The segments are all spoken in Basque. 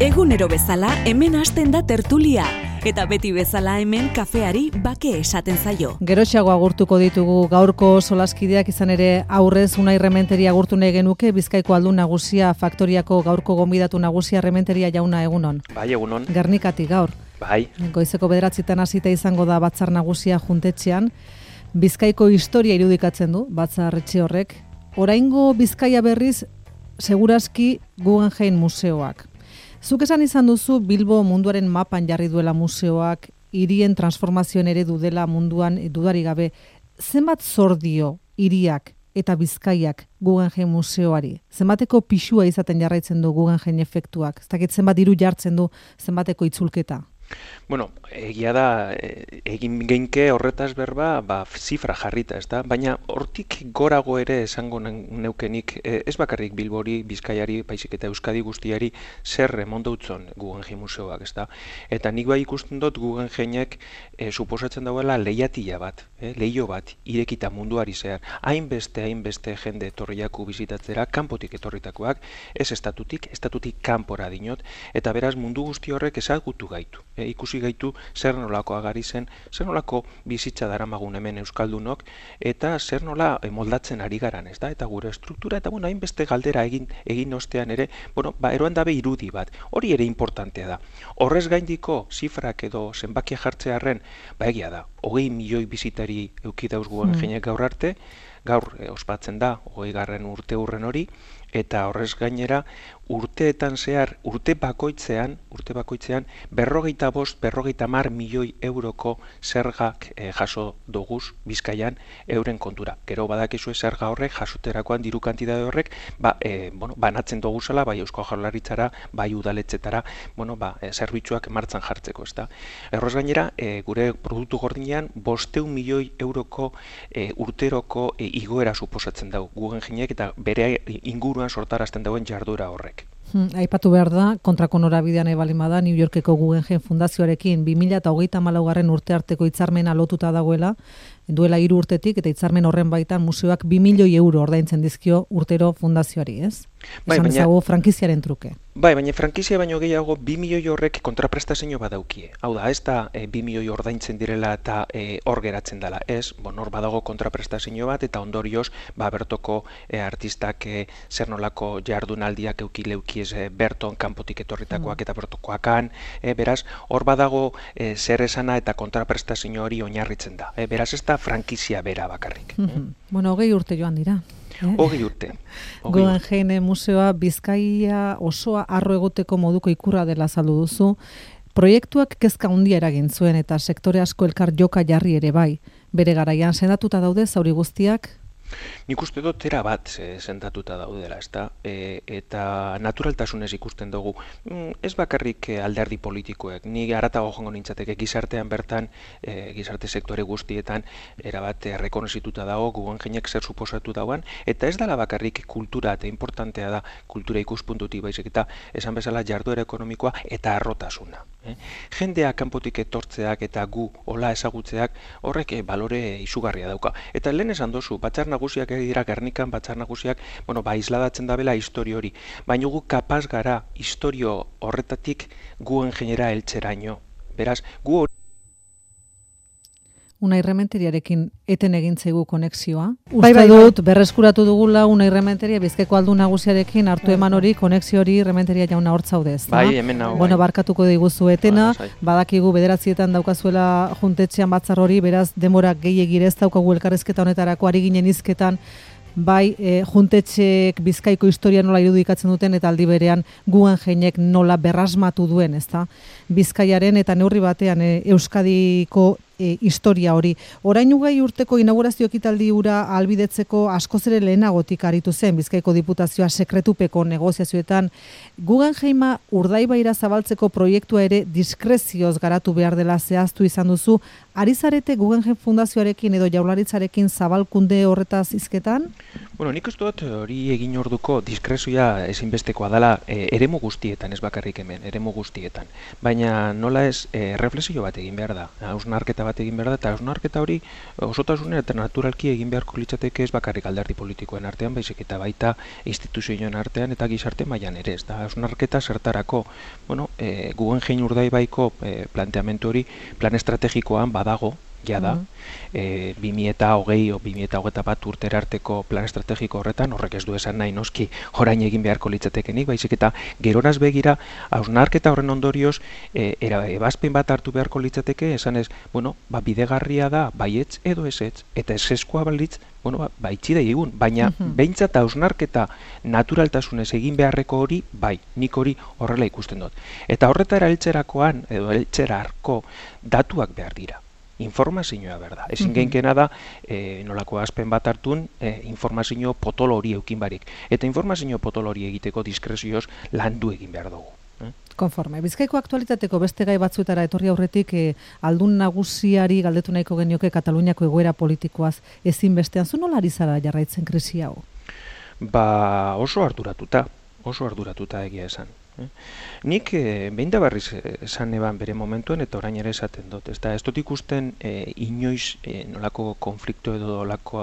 Egunero bezala hemen hasten da tertulia, eta beti bezala hemen kafeari bake esaten zaio. Geroxeago agurtuko ditugu gaurko solaskideak, izan ere aurrez Unai Rementeria agurtu nahi genuke, Bizkaiko aldun nagusia, faktoriako gaurko gonbidatu nagusia. Rementeria jauna, egunon. Bai, egunon. Gernikati gaur. Bai. Goizeko 9:00 hasita izango da batzar nagusia juntetxean. Bizkaiko historia irudikatzen du batzar etxe horrek. Oraingo Bizkaia berriz segurazki Guggenheim museoak. Zuk esan izan duzu Bilbo munduaren mapan jarri duela museoak, hirien transformazioen eredu dela munduan dudarik gabe. Zenbat zor dio hiriak eta Bizkaiak Guggenheim museoari? Zenbateko pisua izaten jarraitzen du Guggenheim efektuak? Ez dakit zenbat diru jartzen du zenbateko itzulketa? Bueno, egia da, egin geinke horretaz berba, zifra jarrita, ez da? Baina hortik gorago ere esango neukenik, ez bakarrik Bilbori, Bizkaiari, baizik eta Euskadi guztiari zer emondautzon Guggenheim museoak, ez da? Eta nik bai ikusten dut Guggenheimek suposatzen dauela lehiatila bat, lehio bat, irekita munduari zehar. Hainbeste jende etorriaku bizitatzera, kanpotik etorritakoak, ez estatutik kanpora dinot, eta beraz mundu guzti horrek ezagutu gaitu. Ikusi gaitu zer nolako agari zen, zer nolako bizitza daramagun hemen euskaldunok, eta zer nola moldatzen ari garan, ez da? Eta gure estruktura, eta hainbeste galdera egin ostean ere, eroan dabe irudi bat. Hori ere importantea da. Horrez gaindiko zifrak edo zenbakia jartzearren, egia da, 20 milioi bizitari eduki dauz Guggenheimek gaur arte, gaur ospatzen da 20. urte hurren hori, eta horrez gainera urteetan zehar, urte bakoitzean 50 milioi euroko zergak jaso doguz Bizkaian euren kontura. Gero badakizu zerga horrek jasoterakoan diru kantitate horrek banatzen doguzala, bai Eusko Jaurlaritzara, bai udaletxetara, zerbitzuak martxan jartzeko, ezta. Horrez gainera, gure produktu gordinean 500 milioi euroko urteroko igoera suposatzen dau Guggenheimek eta bere inguruan sortarazten dauen jarduera horrek. Aipatu behar da, kontrako norabidean ebalimada, New Yorkeko Guggenheim Fundazioarekin 2034 urte arteko hitzarmena lotuta dagoela, duela 3 urtetik, eta hitzarmen horren baitan museoak 2 milioi euro ordaintzen dizkio urtero fundazioari, ez? Esan ezagu frankiziaren truke. Baina frankizia baino gehiago 2 milioi horrek kontraprestazio badaukie. Hau da, ez da 2 milioi ordaintzen direla eta hor geratzen dela. Ez, hor badago kontraprestazio bat, eta ondorioz, bertoko artistak zer nolako jardunaldiak eukileukiez berton kanpotik etorritakoak eta bertokoakan. Beraz, hor badago zer esana eta kontraprestazio hori oinarritzen da. Beraz, ez da frankizia bera bakarrik. 20 urte joan dira. 20 urte. Guggenheim museoa Bizkaia osoa arro egoteko moduko ikurra dela azaldu duzu. Proiektuak kezka handia eragin zuen eta sektore asko elkar joka jarri ere bai. Bere garaian sendatuta daude zauri guztiak? Nik uste dut era bat sendatuta daudela, ezta? Eta naturaltasunez ikusten dugu. Ez bakarrik alderdi politikoek, ni haratago joango nintzateke gizartean bertan, gizarte sektore guztietan, erabat errekonozituta dago Guggenheimek zer suposatu dauan, eta ez dela bakarrik kultura, eta importantea da kultura ikuspuntutik baizik, eta esan bezala jarduera ekonomikoa eta arrotasuna. Jendea kanpotik etortzeak eta gu hola ezagutzeak horrek balore izugarria dauka. Eta lehen esan dozu, batzar nagusiak dira Gernikan, batzar nagusiak, isladatzen dabela historio hori. Baina gu kapaz gara historio horretatik Guggenheimera heltzeraino. Beraz, gu hori Unai Rementeriarekin eten egin zaigu konexioa. Bai dut, berreskuratu dugula Unai Rementeria Bizkaiko aldun nagusiarekin hartu eman hori, konexio hori Rementeria jauna hor zaudez. Bai, hemen nago. Barkatuko diguzu etena, badakigu 9:00 daukazuela juntetxean batzar hori, beraz denbora gehiegi ez daukagu elkarrizketa honetarako, ari ginen hizketan bai juntetxeek Bizkaiko historia nola irudikatzen duten eta aldi berean Guggenheimek nola berrasmatu duen, ezta? Bizkaiaren eta neurri batean Euskadiko historia hori. Orain 20 urteko inaugurazio ekitaldi hura ahalbidetzeko askoz ere lehenagotik aritu zen Bizkaiko Diputazioa sekretupeko negoziazioetan. Guggenheima Urdaibaira zabaltzeko proiektua ere diskrezioz garatu behar dela zehaztu izan duzu. Ari zarete Guggenheim Fundazioarekin edo Jaurlaritzarekin zabalkunde horretaz hizketan? Nik uste dut hori egin orduko diskrezioa ezinbestekoa dela eremu guztietan, ez bakarrik hemen, eremu guztietan. Baina nola ez reflexio bat egin behar da, hausnarketa bat egin behar da, eta hausnarketa hori osotasunen eta naturalki egin beharko litzateke ez bakarrik alderdi politikoen artean, baizik eta baita instituzioen artean eta gizarte mailan ere, ez da, hausnarketa zertarako, Guggenheim Urdaibaiko planteamendu hori plan estrategikoan badago, jada, 2020 o 2021 urtera arteko plan estrategiko horretan, horrek ez du esan nahi noski orain egin beharko litzatekenik, baizik eta geroraz begira, hausnarketa horren ondorioz, ebazpen bat hartu beharko litzateke, esanez, bidegarria da, baietz edo ezetz, eta ezeskoa balitz, itxi da egun, baina behintzat hausnarketa naturaltasunez egin beharreko hori, nik hori horrela ikusten dut. Eta horretara heltzerakoan, edo heltzerarko datuak behar dira. Informazioa berda. Ezin geinkena da, nolako azpen bat hartun, informazio potolo hori eukin barik. Eta informazio potolo hori egiteko diskrezioz landu egin behar dugu. Konforme. Bizkaiko aktualitateko beste gai batzuetara etorri aurretik aldun nagusiari galdetu nahiko genioke Kataluniako egoera politikoaz ezinbestean. Zu nola ari zara jarraitzen krisi hau? Oso arduratuta egia esan. Nik behin da barriz esan eban bere momentuen eta orain ere esaten dut. Ez dut ikusten inoiz nolako konflikto edo nolako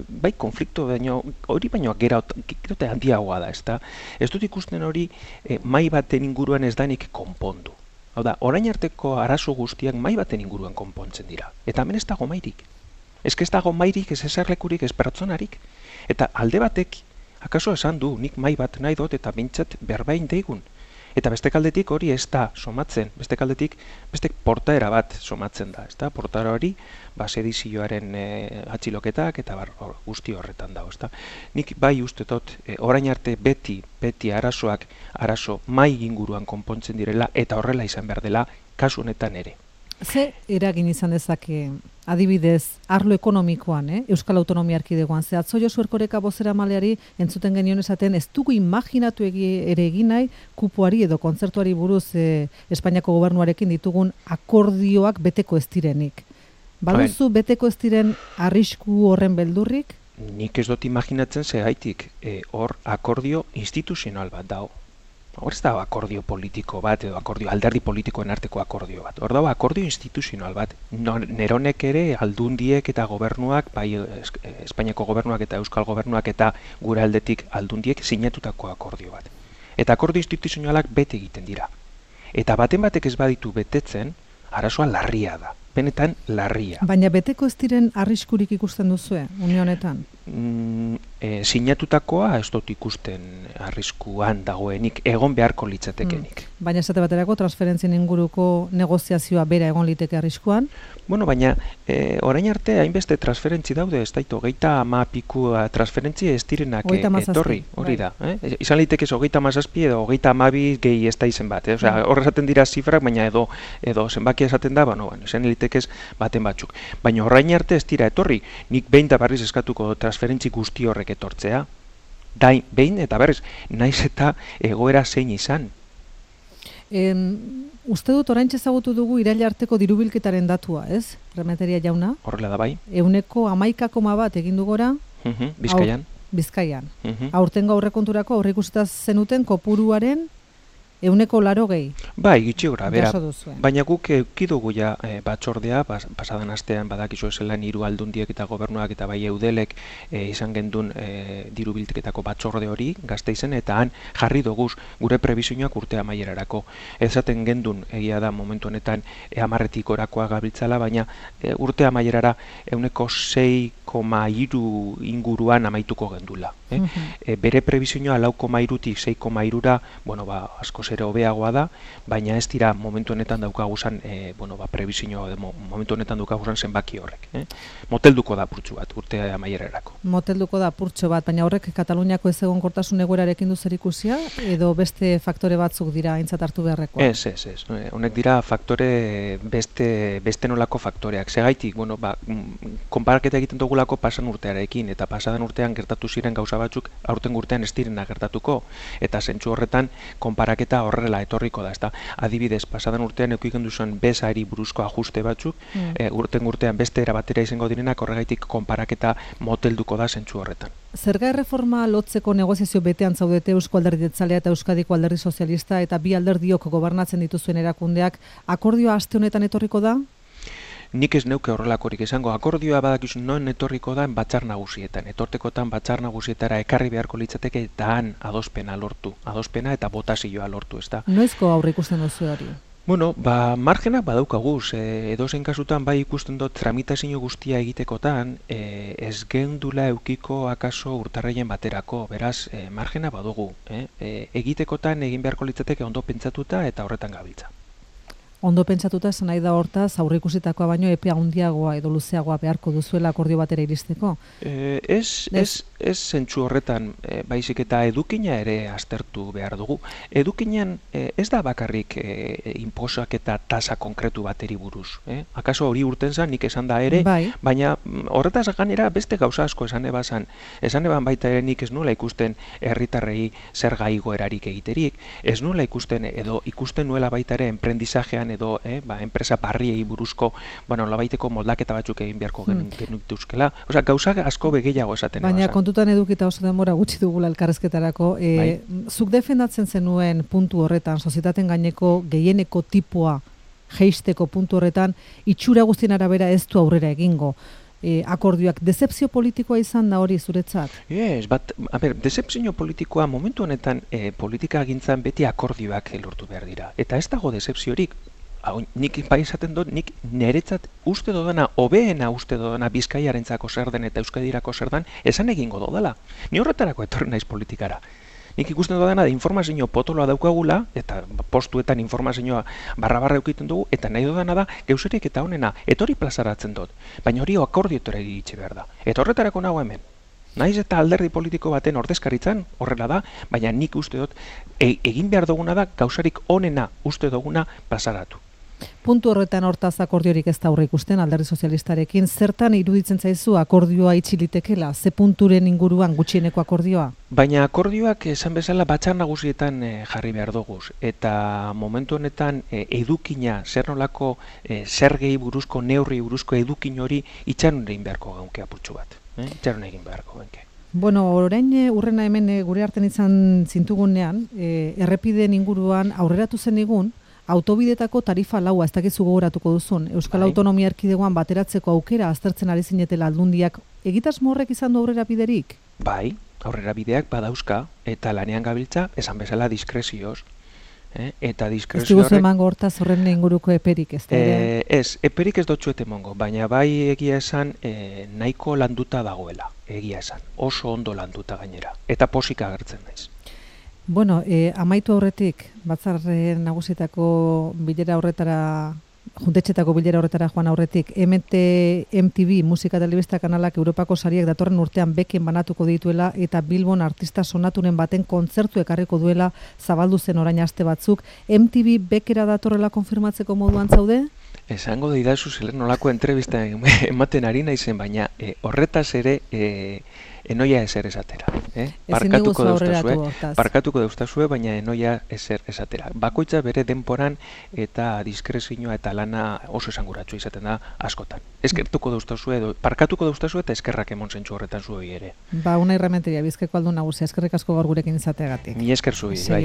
bai konflikto hori baino gerote handiagoa da. Ez dut ikusten hori mai baten inguruan ez danik konpondu. Hau da, orain arteko arazo guztiak mai baten inguruan konpontzen dira. Eta hemen ez dago mairik. Ez dago mairik, ez eserlekurik, ez pertsonarik. Eta alde batek akaso esan du, nik mai bat nahi dut eta bintzat berbain deigun. Eta beste kaldetik hori ez da somatzen, beste kaldetik beste portaera bat somatzen da. Portaera hori, sedizioaren atxiloketak eta guzti horretan dago. Nik bai uste dut, orain arte beti arazo mai inguruan konpontzen direla eta horrela izan behar dela kasu honetan ere. Ze eragin izan dezake, adibidez, arlo ekonomikoan, Euskal Autonomia Erkidegoan, ze atzo Josu Erkoreka bozeramaleari entzuten genion esaten, ez dugu imaginatu ere egin nahi kupoari edo kontzertuari buruz Espainiako gobernuarekin ditugun akordioak beteko ez direnik. Baduzu beteko ez diren arrisku horren beldurrik? Nik ez dut imaginatzen zegaitik, hor akordio instituzional bat dago. Hor ez da akordio politiko bat edo alderdi politikoen arteko akordio bat. Hor dago akordio instituzional bat. Neronek ere aldundiek eta gobernuak, bai Espainiako gobernuak eta Euskal gobernuak eta gure aldetik aldundiek sinatutako akordio bat. Eta akordio instituzionalak bete egiten dira. Eta baten batek ez baditu betetzen, arazoa larria da. Benetan larria. Baina beteko ez diren arriskurik ikusten duzue, une honetan? Sinatutakoa ez dut ikusten arriskuan dagoenik, egon beharko litzatekenik. Baina esate baterako transferentzien inguruko negoziazioa bera egon liteke arriskuan? Baina orain arte hainbeste transferentzi daude, ez daitu, 30 transferentzi ez direnak etorri, hori da. Izan litekez 37 edo 32 gehi ez da izen bat. Horre esaten dira zifrak, baina edo zenbakia esaten da, izan litekez baten batzuk. Baina orain arte ez dira etorri, nik behin da barriz eskatuko transferentzi guzti horrek etortzea, behin eta berriz, naiz eta egoera zein izan. Uste dut oraintxe ezagutu dugu iraila arteko dirubilketaren datua, ez? Rementeria jauna? Horrela da bai. 11,1 egin du gora? Bizkaian. Bizkaian. Aurtengo aurrekonturako aurreikusita zenuten kopuruaren 180. Bai, gitxi gora, bera. Baina guk eukidugu ja batzordea, pasadan astean badakizu zelan 3 aldundiek eta gobernuak eta bai eudelek izan gendun dirubilketako batzorde hori Gasteizen, eta han jarri doguz gure prebizioak urte amaierarako. Ezaten gendun egia da momentu honetan 10 orakoa gabiltzala, baina urte amaierara 6,3 inguruan amaituko gendula. Bere prebizioa 4,3tik 6,3ra, asko ere hobeagoa da, baina ez dira momentu honetan daukaguzan, prebizioa momentu honetan daukaguzan zenbaki horrek. Motelduko da purtsu bat, urte amaierarako. Motelduko da purtsu bat, baina horrek Kataluniako ez egonkortasun egoerarekin du zerikusia, edo beste faktore batzuk dira aintzat hartu beharrekoa? Ez. Honek dira faktore, beste nolako faktoreak. Segaitik, konparaketa egiten dugula dugulako pasan urtearekin, eta pasadan urtean gertatu ziren gauza batzuk, aurten urtean ez direna gertatuko, eta zentzu horretan konparaketa horrela etorriko da, ezta? Adibidez, pasadan urtean edukitzen duzuen bezari buruzko ajuste batzuk, urtean beste era batera izango direnak, horregaitik konparaketa motelduko da zentzu horretan. Zerga erreforma lotzeko negoziazio betean zaudete Eusko Alderdi Jeltzalea eta Euskadiko Alderdi Sozialista eta bi alderdiok gobernatzen dituzuen erakundeak, akordioa aste honetan etorriko da? Nik ez neuke horrelakorik izango, akordioa badakizu noen etorriko da batzar nagusietan. Etortekotan batzar nagusietara ekarri beharko litzateke eta han adospena eta botazioa lortu, ezta? Noizko aurre ikusten duzu hori? Bueno, margenak badaukaguz, edozein kasutan bai ikusten dut tramitazio guztia egitekotan, ez geundula eukiko akaso urtarraien baterako, beraz, margena badugu. Egitekotan egin beharko litzateke ondo pentsatuta eta horretan gabiltza. Ondo pentsatuta esan nahi da hortaz, aurreikusitakoa baino epea handiagoa edo luzeagoa beharko duzuela akordio batera iristeko? Ez zentzu horretan, baizik eta edukina ere aztertu behar dugu. Edukinean ez da bakarrik inposak eta tasa konkretu bateri buruz. Akaso hori urten zan, nik esan da ere, baina horretaz gainera beste gauza asko esan ebazan. Esan eban baita ere nik ez nuela ikusten herritarrei zerga igoerarik egiterik, ez nuela ikusten edo ikusten nuela baita ere emprendizajean edo enpresa barriei buruzko labaiteko moldaketa batzuk egin beharko genituzkela. Osea, gauza asko begeiago esaten. Baina kontutan edukita oso denbora gutxi dugula elkarrezketarako. Zuk defendatzen zenuen puntu horretan, sozietateen gaineko gehieneko tipua jeisteko puntu horretan, itxura guztien arabera ez du aurrera egingo. Akordioak, dezepzio politikoa izan da hori zuretzat? Dezepzio politikoa momentu honetan politika gintzan beti akordioak lortu behar dira. Eta ez dago dezepziorik. Nik bai esaten dut, nik niretzat uste dodana, hobeena uste dodana Bizkaiarentzako zer den eta Euskadirako zer den, esan egingo dodala. Ni horretarako etorri naiz politikara. Nik ikusten dudana da informazio potoloa daukagula, eta postuetan informazioa barra eukiten dugu, eta nahi dudana da, geuzerik eta honena, etori plazaratzen dut. Baina hori akordioetara iritsi behar da. Eta horretarako nago hemen. Naiz eta alderdi politiko baten ordezkaritzan, horrela da, baina nik uste dut, egin behar duguna da, gauzarik onena uste duguna plazaratu. Puntu horretan hortaz akordiorik ez da aurre ikusten alderdi sozialistarekin, zertan iruditzen zaizu akordioa itxilitekela, ze punturen inguruan gutxieneko akordioa? Baina akordioak esan bezala batzar nagusietan jarri behar duguz, eta momentu honetan edukina, zer nolako zergei buruzko, neurri buruzko edukin hori itxaron egin beharko gaunke apurtxu bat. Itxaron egin beharko gaunke. Bueno, orain urrena hemen gure artean izan zintugunean, errepideen inguruan aurreratu zen egun, autobidetako tarifa laua, ez dakizu gogoratuko duzun, Euskal Autonomia Erkidegoan bateratzeko aukera aztertzen ari zinetela aldundiak, egitasmo horrek izan du aurrera biderik? Bai, aurrera bideak badauzka, eta lanean gabiltza, esan bezala diskrezioz. Eta diskrezio horrek... Ez diguzu emango hortaz horren inguruko eperik, ez da? Ez, eperik ez dotxuet emango, baina bai egia esan nahiko landuta dagoela, egia esan, oso ondo landuta gainera, eta posik agertzen naiz. Bueno, amaitu aurretik, batzar nagusietako bilera horretara, juntetxetako bilera horretara joan aurretik, MTV musika telebista kanalak Europako sariak datorren urtean beken banatuko dituela eta Bilbon artista sonaturen baten kontzertu ekarriko duela zabaldu zen orain aste batzuk. MTV bekera datorrela konfirmatzeko moduan zaude? Esango didazu zelen nolako entrevista ematen ari naizen, baina horretaz ere enoia ezer esatera. Parkatuko dauztazue, baina enoia ezer esatera. Bakoitza bere denporan eta diskrezioa eta lana oso esanguratsu izaten da askotan. Eskertuko dauztazue, parkatuko dauztazue eta eskerrak emon zentzu horretan zuei ere. Una irrementeria, Bizkaiko aldun nagusia, eskerrik asko gaur gurekin izateagatik. Ni esker zuei, bai.